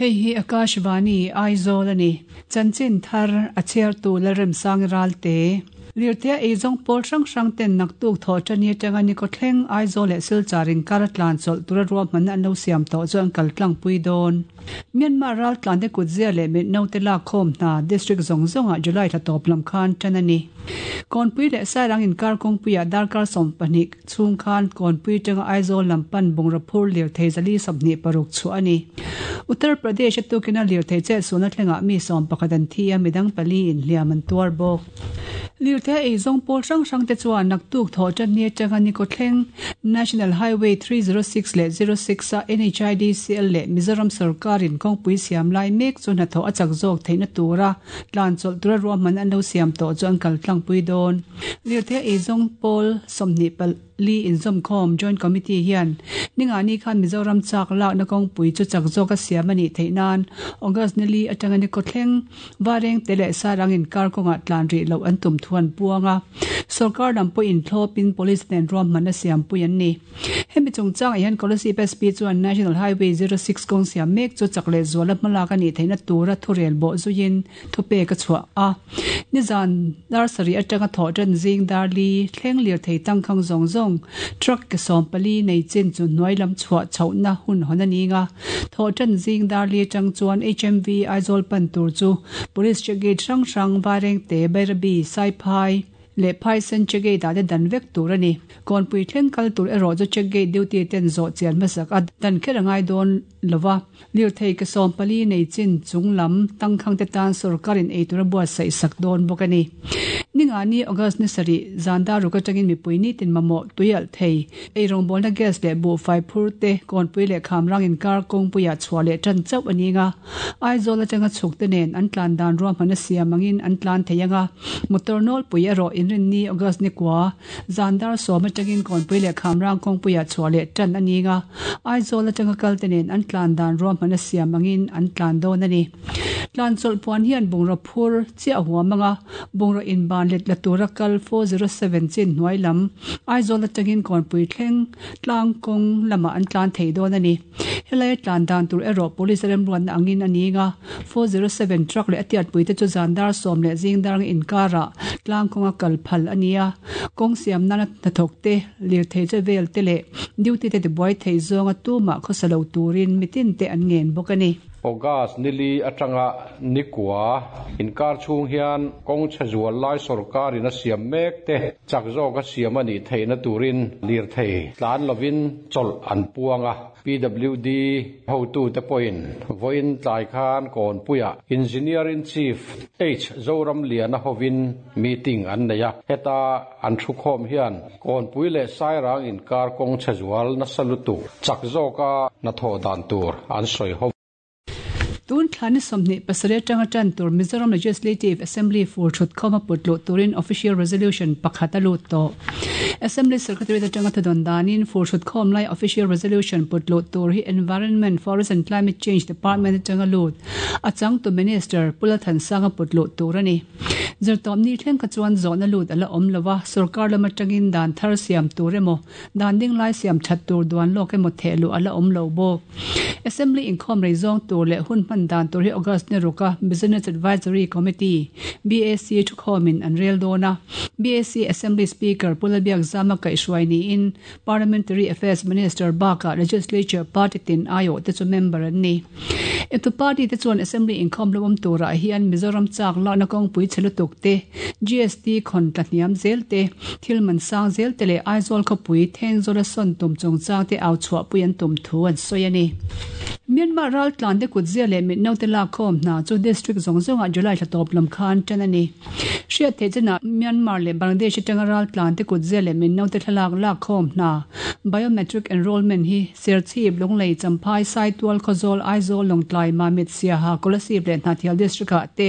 Hei hi Akashvani, Aizawl a ni. Chanchin thar a chhiartu Lalremsangi Ralte. Lirthei eizawng pawl hrang hrang ten naktuk thawh tani atanga Nikawthleng, Aizawl leh Silchar inkar a tlan chawlh tura ruahmanna an lo siam tawh chu an kal tlangpui dawn. Myanmar raltlante kutzia leh mitnote lakkhawm hna district zawng zawngah July thla tawp lam khan tan a ni. Kawnpui leh Sairang inkar kawngpuiah darkar 20 chhung khan Kawnpui atanga Aizawl lam pan bungraw phur lirthei 426 chhuah a ni. Uttar Pradesh-a tukina lirthei chetsualna thlengah mi 11 an thi a, midang pali in hliam an tuar bawk. Lirthei eizawng pawl hrang hrang te chuan naktuk thawh tan ni atanga Nikawthleng, National Highway 306 leh 06 a NHIDCL leh Mizoram sawrkarin kawngpui siam lai mek chu hnathawh a chak zawk theihna tura tlan chawlh tura ruahman an lo siam tawh chu an kal tlangpui dawn. Lirthei eizawng pawl 24 inzawmkhawm Joint Committee hian ningani khan Mizoram chak lakna kawngpui chu chak zawka siam a nih theih nan August ni li atanga Nikawthleng, Vareng te leh Sarang inkar kawngah tlan rih loh an tum thu an puang a, sawrkar lam pawhin thlawpin police nen ruahmanna siampui an ni. Hemi chungchangah hian Kolasib SP chuan National Highway 06 kawng siam mek chu chak leh zuala hmalak a nih theihna tura thurel bawh zuiin thupek a chhuah a. Nizan dar sarih atanga thawh tan zing dar li thleng lirthei tangkhang zawng zawng truck ke 14 nei chin chu hnuai lam chhuah chhohna hun hawn a ni nga. Thawh tan zing dar li atang chuan HMV Aizawl pan tur chu Police check gate hrang hrang Vairengte, Bairabi, Saiphai leh Phaisen check gate ah te dan vek tur a ni. Kawnpui thleng kal tur erawh chu check gate duty ten zawh chian hmasak a dan kher a ngai dawn lova. Lirthei ke 14 nei chin chung lam tangkhang te tan sawrkarin eitur a buatsaih sak dawn bawk a ni. Ningani August ni sarih zan dar ruk atangin mipui nitin mamawh tui alh thei. Eirawngbawlna gas leh buhfai phur te Kawnpui leh Khamrang inkar kawngpuiah chhuah leh tan chauh a ni anga, Aizawl atanga chhuk te nen an tlan dan ruahman a siam angin an tlan thei anga, motor nawlpui erawh inrinni August ni kua zan dar 10 atangin Kawnpui leh Khamrang kawngpuiah chhuah leh tan a ni anga, Aizawl atanga kal te nen an tlan dan ruahman a siam angin an tlan dawn a ni. Tlan chawlh puan hian bungraw phur chiah huam anga, bungraw inban let la tura kal 407 chin hnuai lam Aizawl atangin Kawnpui thleng tlang kawng lamah an tlan thei dawn a ni. Helai tlan dan tur erawh Police remruatna angin a ni nga, 407 truck leh a tiatpui te chu zan dar 10 leh zing dar anga inkarah tlang kawnga kal phal a ni a. Kawng siam nana hnathawk te, lirthei che vel te leh duty te tibuai thei zawnga tumah khawsa lo turin mitin te an ngen bawk a ni. August ni li atanga ni kua inkar chhung hian kawng chhe zual lai sawrkarin a siam mek te chak zawka siam a nih theihna turin lirthei tlan lovin chawlh an puang a. PWD hotute pawhin vawiin tlai khan Kawnpuiah Engineer-in-Chief H Zoramliana hovin meeting an nei a. Heta an thukhawm hian Kawnpui leh Sairang inkar kawng chhe zual nasa lutuk chak zawka hnathawh dan tur an sawi ho. Tun thla ni 27 atanga tan tur Mizoram Legislative Assembly fur thut khawm a put luh turin Official Resolution pakhat a lut tawh. Assembly Secretariat atanga thudawn danin fur thut khawm lai Official Resolution put luh tur hi Environment, Forest and Climate Change Department atanga lut a changtu Minister Pu Lalthansanga put luh tur a ni. Zirtawpni thleng kha chuan zawhna lut a la awm lo a, sorkar lam atangin dan thar siam tur emaw, dan ding lai siam that tur duan lawk emaw theh luh a la awm lo bawk. Assembly inkhawm rei zawng tur leh hun hman dan tur hi August ni ruka Business Advisory Committee, BAC, thukhawmin an rel dawn a. BAC Assembly Speaker Pu Lalbiakzama kaihhruai niin Parliamentary Affairs Minister bakah Legislature party tin aiawh te chu member an ni. Etu party te chuan Assembly inkhawm lo awm turah hian Mizoram chak lakna kawngpui chhe lutuk te, GST khawn tla hniam zel te, thil man sang zel te leh Aizawl khawpui Thengzawla sawn tum chungchang te au chhuahpui an tum thu an sawi a ni. Myanmar raltlan te kutzia leh mitnote lakkhawm hna chu district zawng zawngah July thla tawp lam khan tan a ni. Hriat theih chinah Myanmar leh Bangladesh atanga raltlan te kutzia leh mitnote thlalak lakkhawm hna biometric enrollment hi Serchhip, Lunglei, Champhai, Saitual, Khawzawl, Aizawl, Lawngtlai, Mamit, Siaha, Kolasib leh Hnahthial district-ah te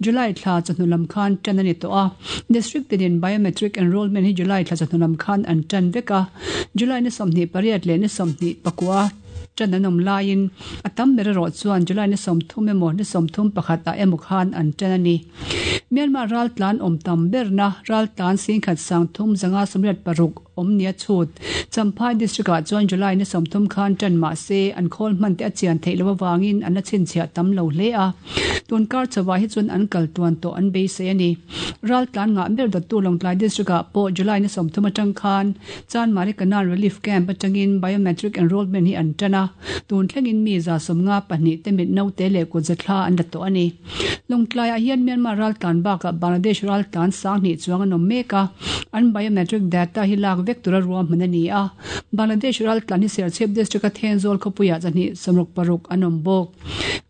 July thla chawhnu lam khan tan a ni tawh a. District tinin biometric enrollment hi July thla chawhnu lam khan an tan vek a. July ni 28 leh ni 29 tan an awm laiin a tam ber erawh chuan July ni 30 emaw ni 31 ah emaw khan an tan a ni. Myanmar raltlan awm tam berna raltlan singkhat sangthum zanga 86 awm nia chhut Champhai District-ah chuan July ni 30 khan tan mah se an khawl hman te a chian theih loh avangin an la chhinchhiah tam lo hle a. Tun kar chauhah hi chuan an kal tuan tawh an beisei a ni. Raltlan ngah ber dawttu Lawngtlai District-ah pawh July ni 30 atang khan Chanmari Canal Relief Camp atangin Biometric Enrolment hi an tan a, tun thlengin mi 72 te mit naute leh kutza thla an la tawh a ni. Lawngtlaiah hian Myanmar raltlan bakah Bangladesh raltlan 2000 chuang an awm mek a, an biometric data hi lak vek tura ruahman a ni a. Bangladesh raltlan hi Serchhip District-a Thenzawl khawpuiah 266 an awm bawk.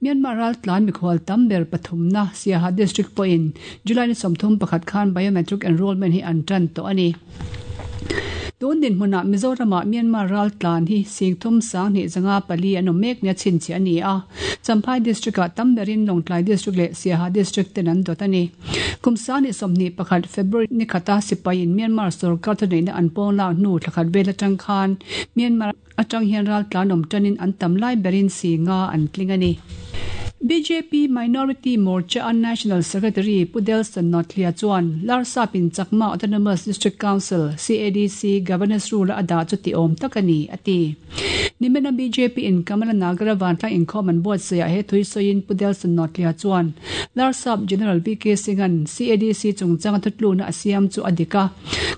Myanmar raltlan mikhual tam ber pathumna Siaha District pawhin July ni 31 khan biometric enrolment hi an tan tawh a ni. Tun dinhmunah Mizoramah Myanmar raltlan hi 30 2 504 an awm mek nia chhinchhiah a ni a. Champhai District-ah tam berin Lawngtlai District leh Siaha District ten an dawt a ni. Kum 2021 February ni khata sipaiin Myanmar sorkar thuneihna an pawng lak hnu thlakhat vel atang khan Myanmar atang hian raltlan awm tanin an tam lai berin si nga an tling a ni. BJP Minority Morcha a National Secretary Pu Delson Nothlia chuan Larsapin Chakma Autonomous District Council, CADC, Governance Rule a dah chu ti awm tak a ni, a ti. Nimina BJP in Kamala Nagara vantlang inkhawm an buatsaihah he thui sawiin Pu Delson Nothlia chuan Larsap General VK Singh-a'n CADC chungchanga thutlukna a siam chu a dik a,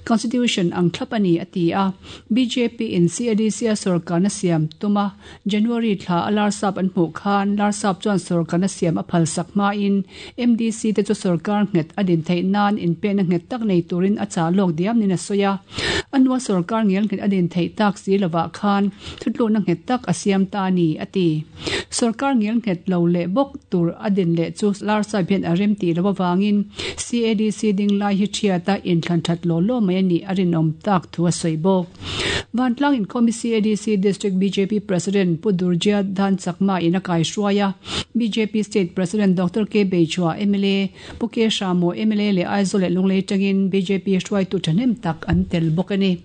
Constitution ang thlap a ni, a ti a. BJP in CADC a sorkarna siam tum a, January thla a Larsap an hmuh khan Larsap chuan sorkarna siam a phalsak hmain MDC te chu sorkar nghet a din theih nan inpekna nghet tak nei turin a chah lawk diam niin a sawi a. A hnua sorkar ngel nghet a din theih tak si lovah khan thutlukna nghet tak a siam ta a ni, a ti. Sorkar ngel nghet lo leh bawk tur a din leh chu Larsap hian a rem tih loh avangin CADC ding lai hi thiat a inthlan that law law mai a nih a rinawm tak thu a sawi bawk. Vantlang inkhawm hi CADC District bjp President Pu Durjia Dhan Chakma in a kaihruai a, bjp State President Doctor K Beichhua mla, Pu K Hramo mla leh Aizawl leh Lunglei tangin bjp hruaitu thahnem tak an tel bawk a ni.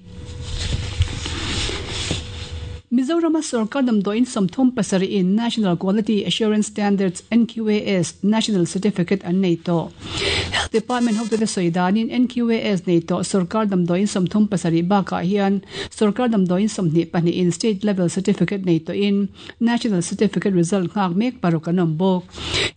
Mizorama sorkar damdawiin 37 in National Quality Assurance Standards, NQAS, National Certificate an nei tawh. Health Department hotute sawi danin NQAS nei tawh sorkar damdawiin 37 bakah hian sorkar damdawiin 22 in State Level Certificate nei tawhin National Certificate result nghak mek paruk an awm bawk.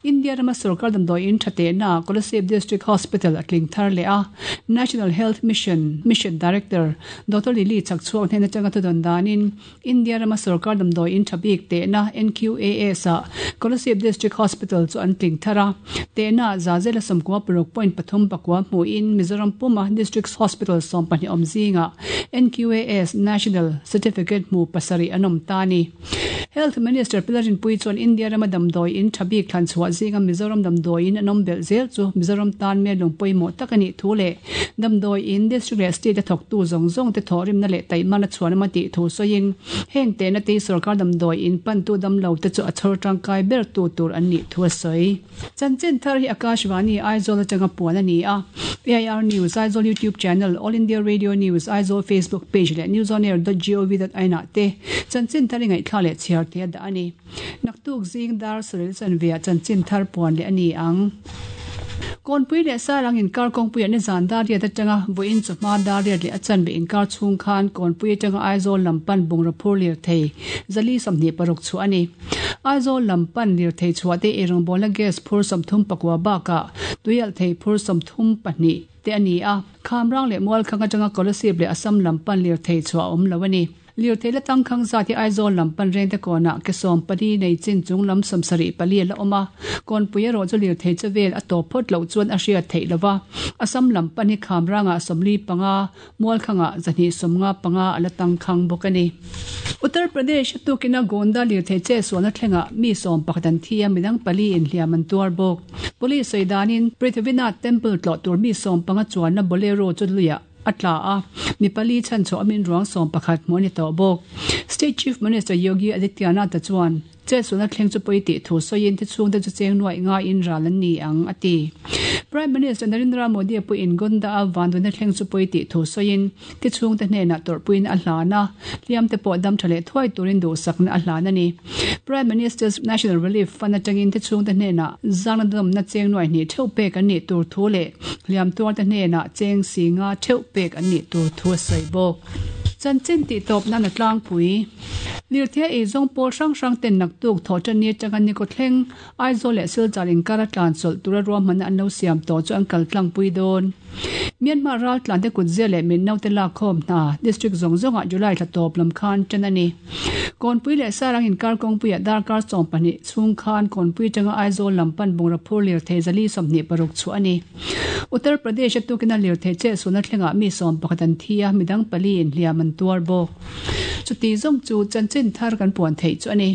India rama sorkar damdawiin tha tehna Kolasib District Hospital a tling thar leh a, National Health Mission Mission Director Doctor Lily Chakchhuak hnen atanga thudawn danin India rama sorkar damdawiin tha bik tehna NQAS ah Kolasib District Hospital chu an tling thar a, tehna zazela 96.39 hmuhin Mizoram puma District Hospital 12 awm zingah NQAS National Certificate hmu pasarih an awm ta a ni. Health Minister Pi Lalrinpuii chuan India rama damdawiin tha bik thlan chhuah zinga Mizoram damdawiin an awm belh zel chu Mizoram tan mel lung pawimawh tak a nih thu leh damdawiin district leh state a thawktu zawng zawng te thawhrimna leh taihmana chhuan awm a tih thu sawiin heng tehna te hi sorkar damdawiin pantu damlo te chu a chhawr tangkai ber tu tur an nih thu a sawi. Chanchin thar hi Akashvani Aizawl atanga puan a ni a. AIR News Aizawl YouTube channel, All India Radio News Aizawl Facebook page leh newsonair.gov.in ah te chanchin thar i ngaihthla leh chhiar te a dah a ni. Naktuk zing dar saril chanve ah chanchin thar puan leh a ni ang. Kawnpui leh Sarang inkar kawngpuiah nizan dar riat atanga vawiin chawhma dar riat leh a chanve inkar chhung khan Kawnpui atanga Aizawl lam pan bungraw phur lirthei 426 chhuah a ni. Aizawl lam pan lirthei chhuah te eirawngbawlna gas phur 39 bakah tuialhthei phur 32 te a ni a. Khamrang leh Mualkhang atanga Kolasib leh Assam lam pan lirthei chhuah a awm lo a ni. Lirthei la tangkhang zat hi Aizawl lam pan rengte kawnah ke 14 nei chin chung lam 74 a la awm a. Kawnpui erawh chu lirthei che vel a tawp phawt loh chuan a hriat theih lo va. Assam lam pan hi Khamrangah 45, Mualkhangah 255 a la tangkhang bawk a ni. Uttar Pradesh a tukina Gonda lirthei che sualna thlengah mi 11 an thi a, midang pali inhliam an tuar bawk. Police sawi danin Prithvinath Temple tlawh tur mi 15 chuanna Bolero chu luiah a tla a, mi pali chhanchhuah awmin ruang 11 hmuh a ni tawh bawk. State Chief Minister Yogi Adityanath-a chuan Chetsualna thleng chu pawi tih thu sawiin thi chhungte chu cheng nuaih ngaiin ral an ni ang, a ti. Prime Minister Narendra Modi pawhin Gonda-a vanduaina thleng chu pawi tih thu sawiin, thi chhungte hnenah tawrhpuiin a hlan a, hliamte pawh dam tha leh thuai turin duhsakna a hlan a ni. Prime Minister's National Relief Fund atangin thi chhungte hnenah zangna dawmna cheng nuai hnih theuh pek an nih tur thu leh hliam tuarte hnenah cheng si nga theuh pek an nih tur thu a sawi bawk. Chanchin tihtawp nan a tlangpui. Lirthei eizawng pawl hrang hrang ten naktuk thawhṭanni atanga ni kawthleng Aizawl leh Silchar inkar a tlan chawlh tura ruahmanna an lo siam tawh chu an kal tlangpui dawn. Myanmar raltlante kutzia leh min naute lakkhawm hna district zawng zawngah July thla tawp lam khan ṭan a ni. Kawnpui leh Sarang inkar kawngpuiah darkar 12 chhung khan Kawnpui atanga Aizawl lam pan bungraw phur lirthei 426 chhuah a ni. Uttar Pradesh-a tukina lirthei chetsualna thlengah mi 11 an thi a, midang pali in hliam an tuar bawk. Chuti zawng chu chanchin thar kan puan theih chu a ni.